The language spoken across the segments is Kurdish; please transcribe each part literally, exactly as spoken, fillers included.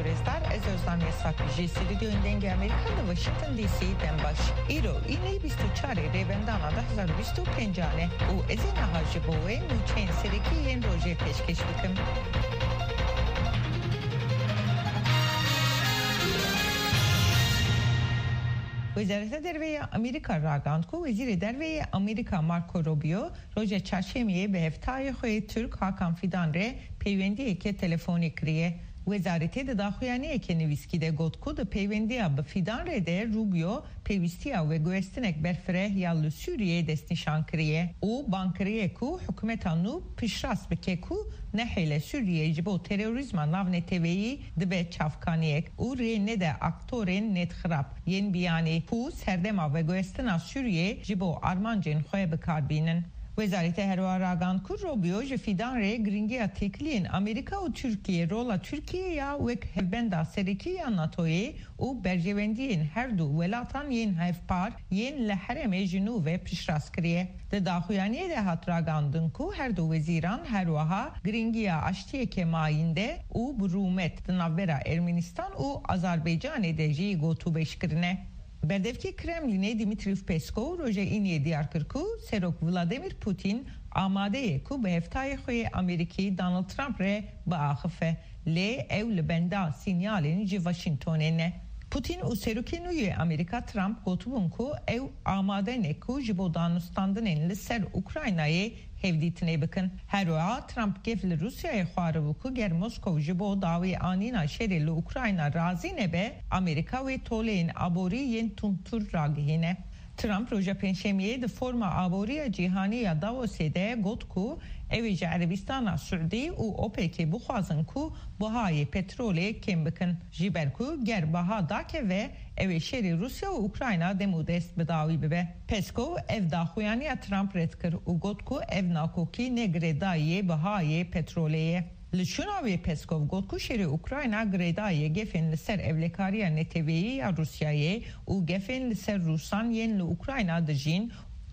Rêzdar, ez Ozan Yasak ji Stûdyoyên Dengê Amerîka li Washington D C dem baş. Îro înê bîst û çarê Rêbendana du hezar û bîst û pêncan e û ez ê niha ji bo we nûçeyên serekî yên rojê pêşkêş bikim. Wezareta Derve ya Amerîka ragand ku Wezîrê Derve yê Amerîka Marco Rubio roja çarşemiyê bi hevtayê xwe yê Tirk Hakan Fidan re peywendiyeke telefonî kiriye. Wezaretê di daxuyaniyeke nivîskî de got ku di peywendiya bi Fidan re de Rubio pêwîstiya veguhestinek berfireh ya li Sûriyeyê destnîşan kiriye û bang kiriye ku hikûmeta nû piştrast bike ku nehêle Sûriyeyê ji bo terorîzma navneteweyî dibe çavkaniyek û rê nede aktorên nêtxirab yên biyanî ku serdema veguhestina Sûriyeyê ji bo armancên xwe bi kar bînin. Wezarete herwiha ragand ku Rubio ji Fidan re giringiya têkiliyên Amerîka û Tirkiyê, rola Tirkiyê ya wek hevbenda serekî ya NATOyê û berjewendiyên her du welatan yên hevpar yên li herêmê ji nû ve piştrast kiriye. Di daxuyaniyê de hat ragandin ku her du wezîran herwiha giringiya aştiyeke mayînde û bi rûmet di navbera Ermenistan û Azerbaycanê de jî gotûbêj kirine. Berdevkê Kremlînê Dimitrîv Peskov roja Îniyê diyar kir ku Serok Vladimir Putin amade ye ku bi hevtayê xwe yê Amerîkî Donald Trump re biaxife, lê ew li benda sînyalên ji Washingtonê ne. Putin û Serokê nû yê Amerîka Trump gotibûn ku ew amade ne ku ji bo danûstandinên li ser Ukraynayê hevdîtinê bikin. Her wiha Trump gef li Rûsyayê xwaribû ku ger Moskow ji bo dawî anîna şerê li Ukrayna razî nebe, Amerîka wê toleyên aborî yên tundtir ragihîne. Trump roja Pêncşemiyê di Forma Aboriya Cîhanî ya Davosê de got ku ew ê ji Erebistana Siûdî û OPECê bixwazin ku bihayê petrolê kêm bikin, ji ber ku ger biha dakeve, ew ê şerê Rûsya û Ukrayna dem û dest bi dawî bibe. Peskov ev daxuyaniya Trump red kir û got ku ev nakokî ne girêdayiyê bihayê petrolê ye. Li şûna wê Peskov got ku şerê Ukrayna girêdayiyê gefên li ser ewlekariya neteweyî ya Rûsyayê û gefên li ser Rûsan yên li Ukrayna dijîn.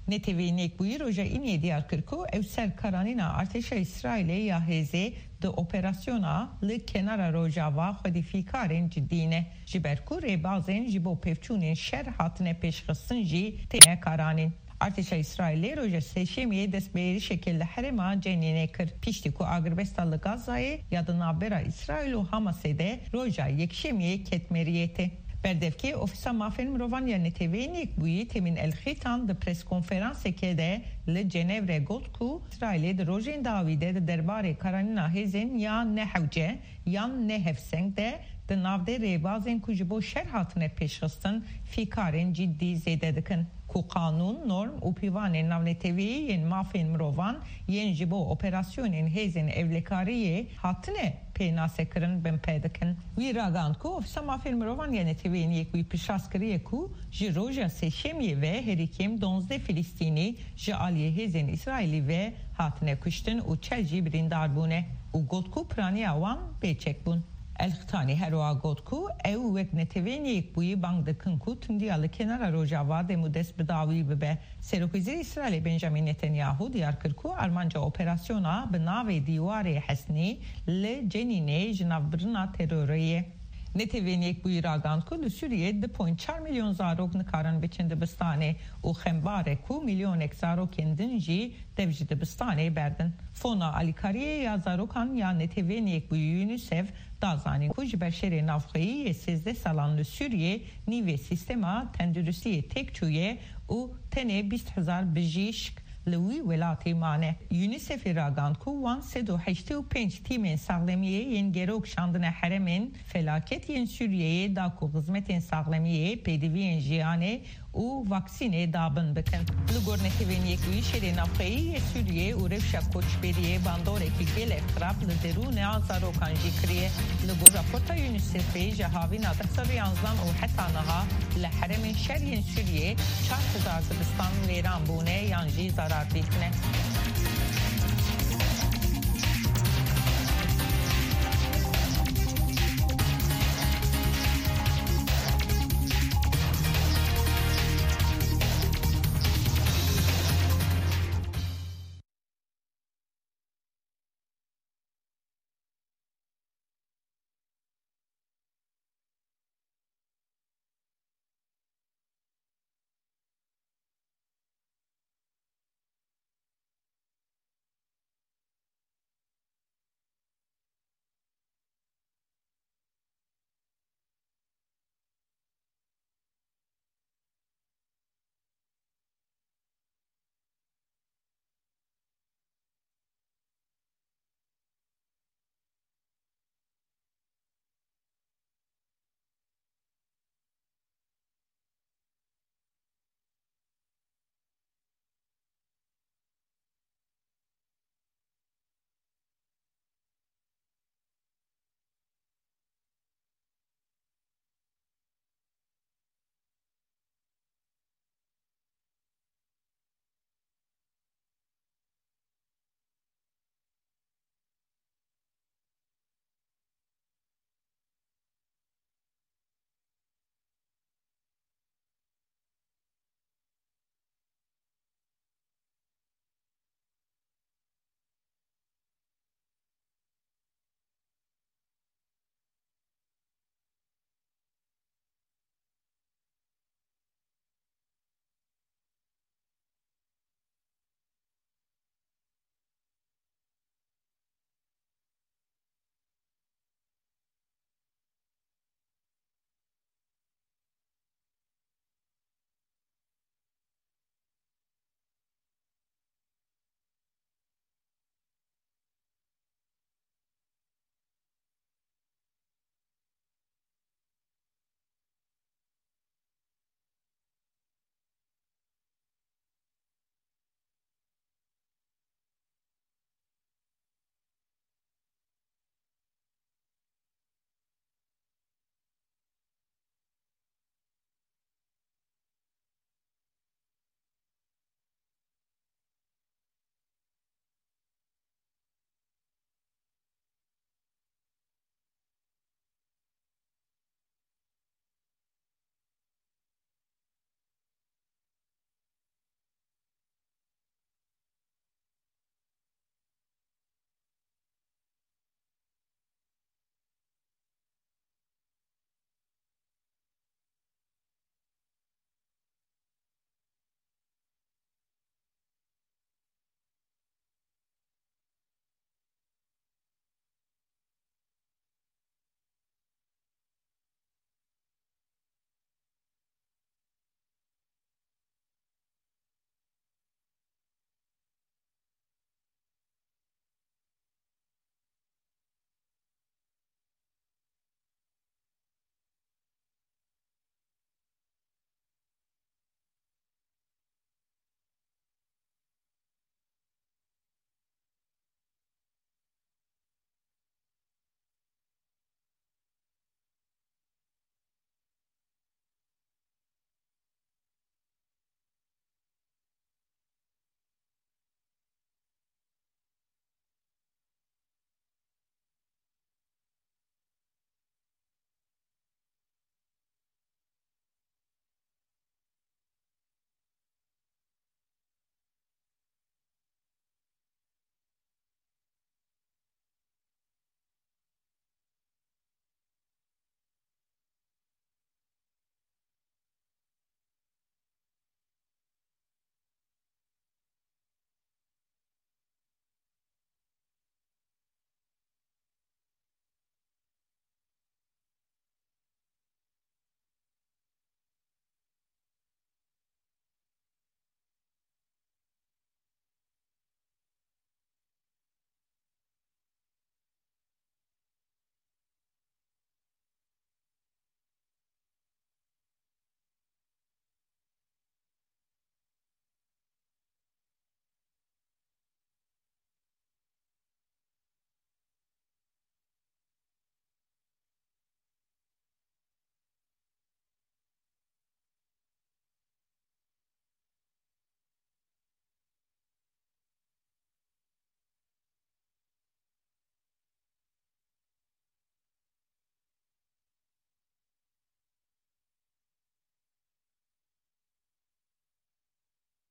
Neteweyên Yekbûyî roja Îniyê diyar kir ku ew ser karanîna artêşa Îsraîlê ya hêzê di operasyona li Kenara Rojava xwedî fîkarên cidî ne, ji ber ku rêbazên ji bo pevçûnên şer hatine pêşxistin jî têne karanîn. Artêşa Îsraîlê roja Sêşemiyê dest bi êrişeke li herêma Cenînê kir, piştî ku agirbesta li Gazayê ya di navbera Îsraîl û Hamasê de roja Yekşemiyê ket meriyetê. Berdevkê Ofîsa Mafên Mirovan ya Neteweyên Yekbûyî Temîn El Xîtan di preskonferanseke de li Cenevre got ku Îsraîlê di rojên dawî de di derbarê karanîna hêzên ya nehewce yan ne hevseng de di navdê rêbazên ku ji bo şer hatine pêşxistin fîkarên cidî zêde dikin, ku qanûn, norm û pîvanên navneteweyî yên mafên mirovan yên ji bo operasyonên hêzên ewlekariyê hatine pênasekirin binpê dikin. Wî ragihand ku Ofîsa Mafên Mirovan ya Neteweyên Yekbûyî piştrast kiriye ku ji roja Sêşemiyê ve herî kêm duwazdeh Filistînî ji aliyê hêzên Îsraîlî ve hatine kuştin û çel jî birîndar bûne û got ku piraniya wan bêçek bûn. El Xitanî her wiha got ku ew wek Neteweyên Yekbûyî bang dikin ku tundiya li Kenara Rojava dem û dest bi dawî bibe. Serokwezîrê Îsraîlê Benjamin Netanyahu diyar kir ku armanca operasyona bi navê Dîwarê Hesnî li Cenînê jinavbirina terorê ye. Netewên Yekbûyî ragihand ku li Sûriyê du point çar milyon zarok nikarin biçin dibistanê û xembar e ku milyonek zarokên din jî dev ji dibistanê berdin. Fona Alîkariyê ya Zarokan ya Netewên Yekbûyî, UNICEF, da zanîn ku ji ber şerê navxweyî yê sêzdeh salan li Sûriyê nîvê sîstema tenduristiyê têk çûye û tenê bîst hezar bijîşk li wî welatî mane. UNICEFê ragihand ku wan sed û heştê û pênc tîmên saxlemiyê yên gerok şandine herêmên felaket yên Sûriyeyê da ku xizmetên saxlemiyê, pêdiviyên jiyanê û vaksînê dabin bikin. Li gor Netewên Yekbûyî, şerê navxweyî yê Sûriyê û rewşa koçberiyê bandoreke gelek xirab li derûna zarokan jî kiriye. Li gor raporta UNICEFê, ji havîna du hezar û yanzdeh û heta niha li herêmên şer yên Sûriyê çar hezar dibistan wêran bûne yan jî zarar dîtine.